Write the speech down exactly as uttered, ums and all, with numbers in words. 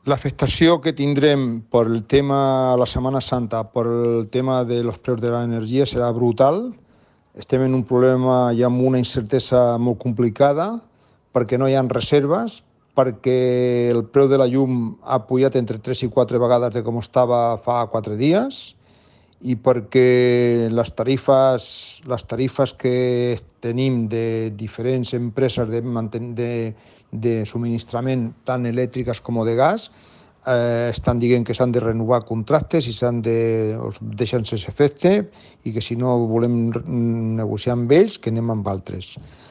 L'afectació que tindrem per el tema la Setmana Santa, per el tema de los preus de l'energia serà brutal. Estem en un problema i amb una incertesa molt complicada perquè no hi ha reserves, perquè el preu de la llum ha pujat entre tres i quatre vegades de com estava fa quatre dies i perquè les tarifes, les tarifes que tenim de diferents empreses de, de, de subministrament tant elèctriques com de gas eh, estan dient que s'han de renovar contractes i s'han de deixar sense efecte i que si no volem negociar amb ells que anem amb altres.